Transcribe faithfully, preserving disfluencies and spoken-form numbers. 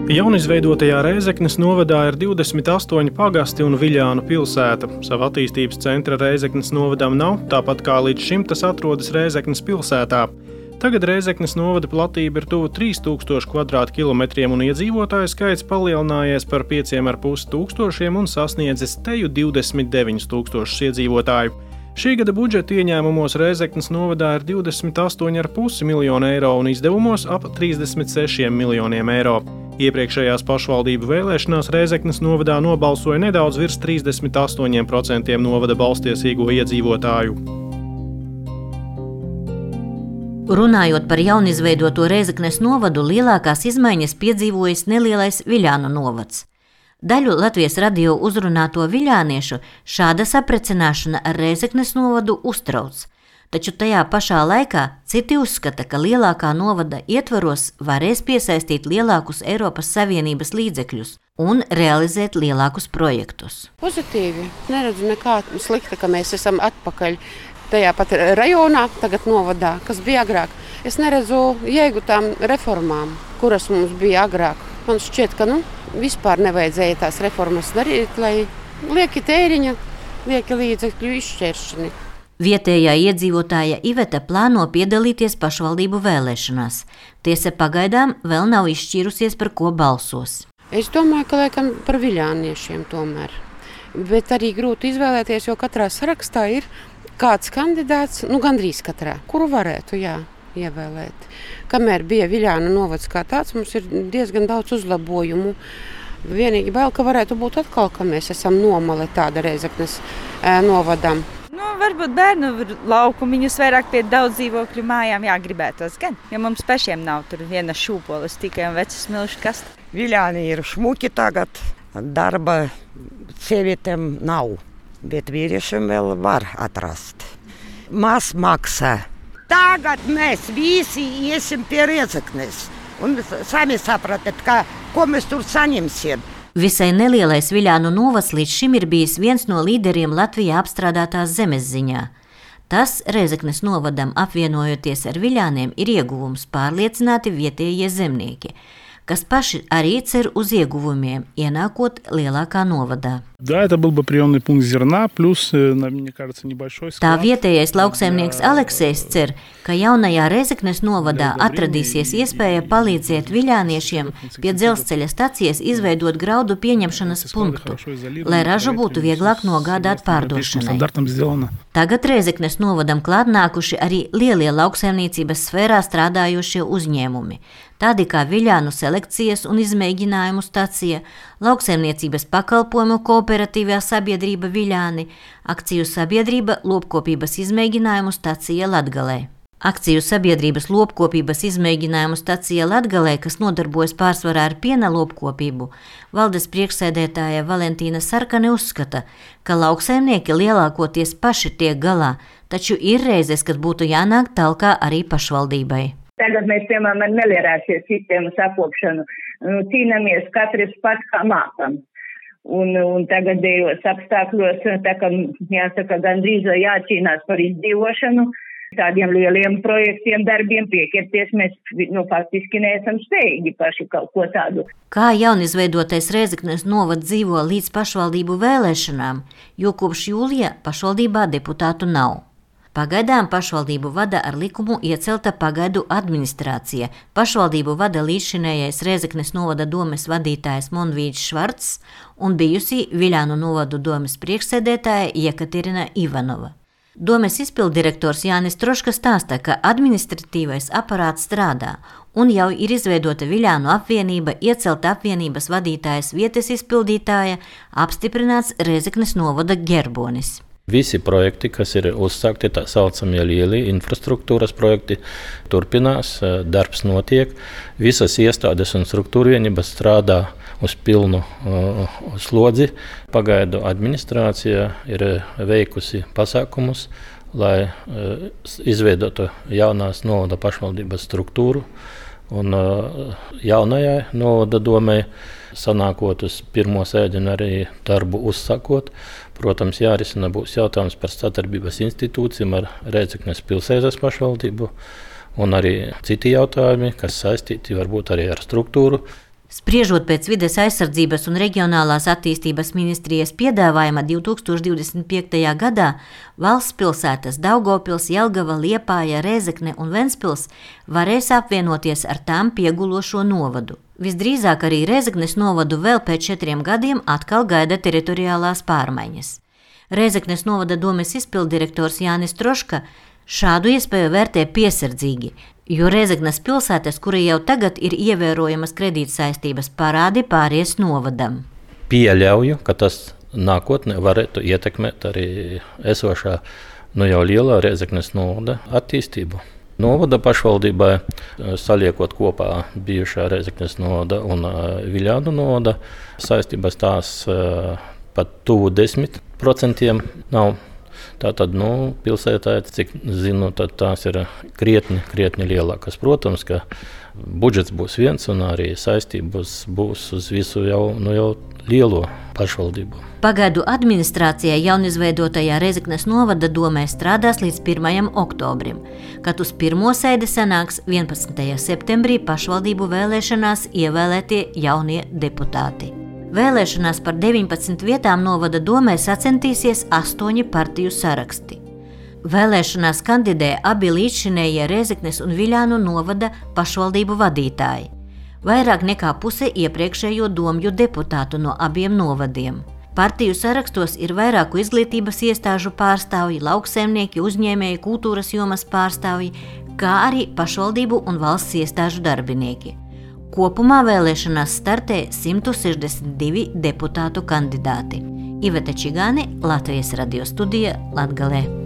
Jaunizveidotajā Rēzeknes novadā ir divdesmit astoņi pagasti un Viļānu pilsēta. Sava attīstības centra Rēzeknes novadam nav, tāpat kā līdz šim tas atrodas Rēzeknes pilsētā. Tagad Rēzeknes novada platība ir tuvu trīs tūkstoši kvadrātkilometriem un iedzīvotāju skaits palielinājies par pieciem ar pus tūkstošiem un sasniedzis teju divdesmit deviņus tūkstošus iedzīvotāju. Šī gada budžeta ieņēmumos Rēzeknes novadā ir divdesmit astoņi ar pus miljonu eiro un izdevumos ap trīsdesmit seši miljoniem eiro. Iepriekšējās pašvaldību vēlēšanās Rēzeknes novadā nobalsoja nedaudz virs trīsdesmit astoņi procenti novada balstiesīgo iedzīvotāju. Runājot par jaunizveidoto Rēzeknes novadu, lielākās izmaiņas piedzīvojis nelielais Viļānu novads. Daļu Latvijas radio uzrunāto viļāniešu šāda saprecināšana ar Rēzeknes novadu uztrauc, taču tajā pašā laikā citi uzskata, ka lielākā novada ietvaros varēs piesaistīt lielākus Eiropas Savienības līdzekļus un realizēt lielākus projektus. Pozitīvi. Neredzu nekā slikta, ka mēs esam atpakaļ tajā pat rajonā, tagad novadā, kas bija agrāk. Es neredzu jēgu tām reformām, kuras mums bija agrāk. Man šķiet, ka nu, vispār nevajadzēja tās reformas darīt, lai lieki tēriņa, lieki līdzekļu izšķēršani. Vietējā iedzīvotāja Iveta plāno piedalīties pašvaldību vēlēšanās. Tiesa pagaidām vēl nav izšķīrusies, par ko balsos. Es domāju, ka laikam par viļāniešiem tomēr. Bet arī grūti izvēlēties, jo katrā sarakstā ir kāds kandidāts, nu gandrīz katrā, kuru varētu, jā, ievēlēt. Kamēr bija Viļānu novads kā tāds, mums ir diezgan daudz uzlabojumu. Vienīgi bail, ka varētu būt atkal, ka mēs esam nomale tāda Rēzeknes e, novadam. Nu, varbūt bērnu laukumiņus vairāk pie daudz dzīvokļu mājām jāgribētos gan, ja mums pašiem nav tur viena šūpolis, tikai un vecas milšu kasta. Viļāni ir šmuki tagad, darba sievietēm nav, bet vīriešiem vēl var atrast. Maz maksā. Tagad mēs visi iesim pie Rēzeknes un sami sapratat, ka, ko mēs tur saņemsim. Visai nelielais Viļānu novads līdz šim ir bijis viens no līderiem Latvijā apstrādātās zemes ziņā. Tas Rēzeknes novadam apvienojoties ar Viļāniem ir ieguvums, pārliecināti vietējie zemnieki, kas paši arī cer uz ieguvumiem, ienākot lielākā novadā. Да, это был бы приемный пункт зерна, плюс, мне кажется, небольшой склад. Tā vietējais lauksaimnieks Aleksejs cer, ka jaunajā Rēzeknes novadā atradīsies iespēja palīdzēt viļāniešiem pie dzelzceļa stacijas izveidot graudu pieņemšanas punktu, lai ražu būtu vieglāk nogādāt pārdošanai. Tagad Rēzeknes novadam klātnākuši arī lielie lauksaimniecības sfērā strādājošie uzņēmumi, tādi kā Viļānu selekcijas un izmēģinājumu stacija, lauksaimniecības pakalpojumu kooperatīvā sabiedrība Viļāni, akciju sabiedrība lopkopības izmēģinājumu stacija Latgalē. Akciju sabiedrības lopkopības izmēģinājumu stacija Latgalē, kas nodarbojas pārsvarā ar piena lopkopību, valdes priekšsēdētāja Valentīna Sarkane uzskata, ka lauksaimnieki lielākoties paši tiek galā, taču ir reizes, kad būtu jānāk talkā arī pašvaldībai. Tagad mēs, piemēram, ar meliorācijas sistēmas apkopšanu nu, cīnāmies katrs pats kā mākam. Un, un tagadējos apstākļos, tā kā jāsaka, gandrīz jācīnās par izdzīvošanu, tādiem lieliem projektiem, darbiem pieķerties, mēs nu, faktiski neesam spējīgi paši kaut ko tādu. Kā jaunizveidotais Rēzeknes novads dzīvo līdz pašvaldību vēlēšanām, jo kopš jūlija pašvaldībā deputātu nav. Pagaidām pašvaldību vada ar likumu iecelta pagaidu administrācija. Pašvaldību vada līdzšinējais Rēzeknes novada domes vadītājs Monvīds Švarcs un bijusī Viļānu novadu domes priekšsēdētāja Jekaterina Ivanova. Domes izpilddirektors Jānis Troška stāsta, ka administratīvais aparāts strādā un jau ir izveidota Viļānu apvienība, iecelta apvienības vadītājas vietas izpildītāja, apstiprināts Rēzeknes novada ģerbonis. Visi projekti, kas ir uzsākti, tā saucamie lieli infrastruktūras projekti, turpinās, darbs notiek. Visas iestādes un struktūra vienības strādā uz pilnu uh, slodzi. Pagaidu administrācija ir veikusi pasākumus, lai uh, izveidotu jaunās novada pašvaldības struktūru. Un uh, jaunajai novada domei sanākot uz pirmo sēdienu arī darbu uzsākot. Protams, jārisina būs jautājums par sadarbības institūcijām ar Rēzeknes pilsētas pašvaldību un arī citi jautājumi, kas saistīti varbūt arī ar struktūru. Spriežot pēc Vides aizsardzības un reģionālās attīstības ministrijas piedāvājuma divi tūkstoši divdesmit piektajā gadā valsts pilsētas Daugavpils, Jelgava, Liepāja, Rēzekne un Ventspils varēs apvienoties ar tām piegulošo novadu. Visdrīzāk arī Rēzeknes novadu vēl pēc četriem gadiem atkal gaida teritoriālās pārmaiņas. Rēzeknes novada domes izpilddirektors Jānis Troška šādu iespēju vērtē piesardzīgi, jo Rēzeknes pilsētas, kura jau tagad ir ievērojamas kredītsaistības, parādi pāries novadam. Pieļauju, ka tas nākotnē varētu ietekmēt arī esošā nu jau lielā Rēzeknes novada attīstību. Novada pašvaldībai, saliekot kopā bijušā Rēzeknes novada un Viļānu novada, saistības tās pat tuvu desmit procentiem nav. Tātad, nu, pilsētā, cik zinu, tad tās ir krietni, krietni lielākas. Protams, ka budžets būs viens un arī saistības būs uz visu jau, nu, jau lielo pašvaldību. Pagaidu administrācijai jaunizveidotajā Rēzeknes novada domē strādās līdz pirmajam oktobrim, kad uz pirmo sēdi sanāks vienpadsmitajā septembrī pašvaldību vēlēšanās ievēlētie jaunie deputāti. Vēlēšanās par deviņpadsmit vietām novada domē sacentīsies astoņi partiju saraksti. Vēlēšanās kandidē abi līdzšinējie Rēzeknes un Viļānu novada pašvaldību vadītāji. Vairāk nekā puse iepriekšējo domju deputātu no abiem novadiem. Partiju sarakstos ir vairāku izglītības iestāžu pārstāvji, lauksaimnieki, uzņēmēji, kultūras jomas pārstāvji, kā arī pašvaldību un valsts iestāžu darbinieki. Kopumā vēlēšanās startē simt sešdesmit divi deputātu kandidāti. Iveta Čigāne, Latvijas radio studija, Latgalē.